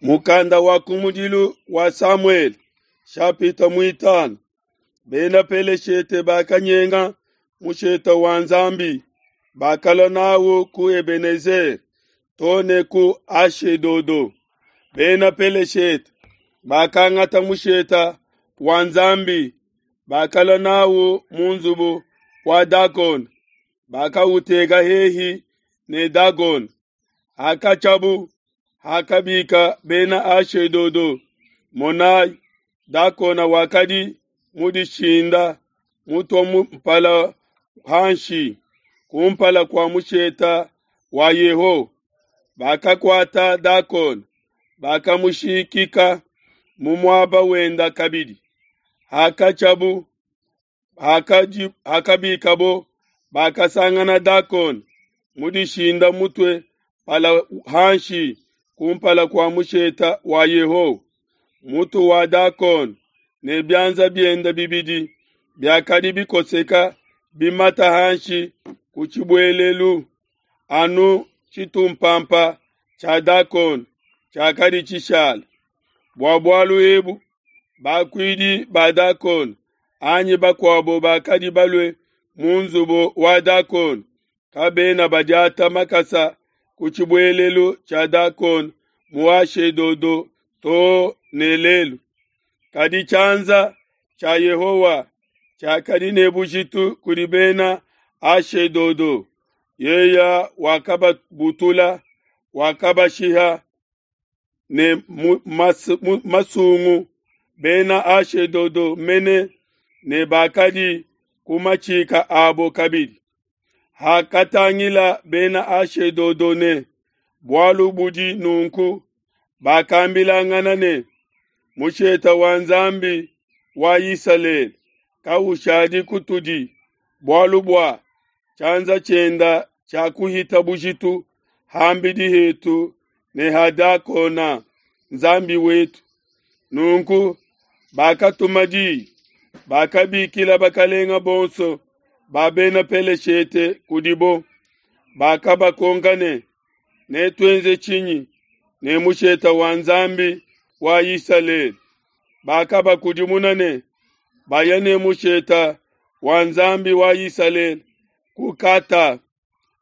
Mukanda wa kumudilu wa Samuele, shapita muitanu. Bena Peleshete bakanyenga mushete wa Nzambi, bakalua nawu ku Ebenezere too ne ku Ashedodo. Bena Peleshete bakangata mushete wa Nzambi, bakalua nawu mu nzubu wa Dagona, bakawuteka hehi ne Dagona. Hakatshiabu, hakabika Bena Ashedodo, monai, Dagona wakadi mudishinda, mutua mpala hanshi kumpala kua mushete wa Yehowa. Bakakuata Dagona, bakamushikika mu muaba wenda kabidi. Hakatshiabu, hakabikabo, bakasangana Dagona mudishinda mutue mpala hanshi kumpala kua mushete wa Yehowa. Mutu wa Dagona ne bianza biende bibidi biakadi bikoseka bimata hanshi ku tshibuelelu, anu tshitumpampa tshia Dagona tshiakadi tshishala. Bua bualu ebu bakuidi ba Dagona anyi bakuabo bakadi balue mu nzubu wa Dagona kabena badiata makasa ku tshibuelelu tshia Dagona mu Ashedodo too ne lelu. Kadi tshianza tshia Yehowa tshiakadi ne bujitu kudi bena Ashedodo. Yeye wakababutula, wakabashiha ne masungu bena Ashedodo mene ne bakadi ku matshika abo kabidi. Hakatangila bena Ashedodo ne bualu budi nunku, bakambilangana ne, mushete wa Nzambi wa Isalele kaushadi kutudi, bualu bua tshianza tshienda tshiakuhita bujitu ham'bidi hetu ne ha Dagona Nzambi wetu. Nunku bakatuma diyi, bakabikila bakalenga bonso ba bena Peleshete kudibo, bakabakonka ne, netuenze tshinyi ne mushete wa Nzambi wa Isalele? Bakabakudimuna ne, baya ne mushete wa Nzambi wa Isalele ku Kata.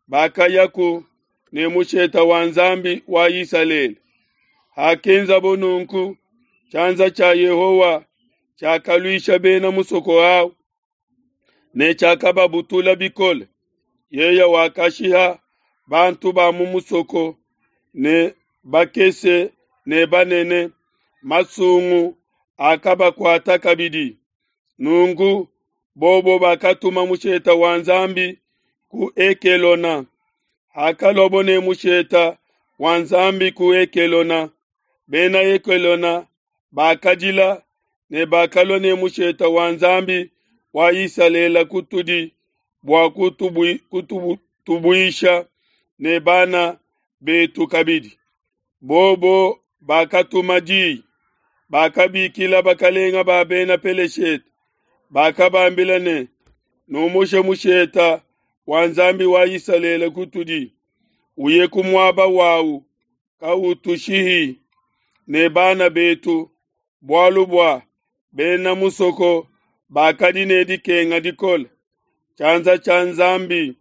Bakayaku ne mushete wa Nzambi wa Isalele. Hakenzabo nunku, tshianza tshia Yehowa tshiakaluisha bena musoko awu ne tshiakababutula bikole. Yeye wakashiha bantu ba mu musoko ne bakese ne banene, masungu akabakuata kabidi. Nunku bobo bakatuma mushete wa Nzambi ku Ekelona. Hakaluabo ne mushete wa Nzambi ku Ekelona, bena Ekelona bakadila ne bakalua ne mushete wa Nzambi wa Isalele kutudi bua kutubuisha ne bana betu kabidi. Bobo bakatuma diyi, bakabikila bakalenga ba bena Peleshete, bakabambila ne, numushe mushete wa Nzambi wa Isalele kutudi, uye ku muaba wawu, kautushihi ne bana betu, bualu bua bena musoko bakadi ne dikenga dikole. Tshianza tshia Nzambi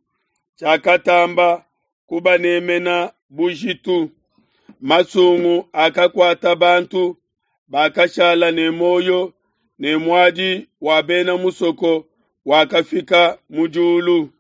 tshiakatamba kubanemena bujitu. Masungu akakuata bantu bakashala ne muoyo, ne muadi wa bena musoko wakafika mu diulu.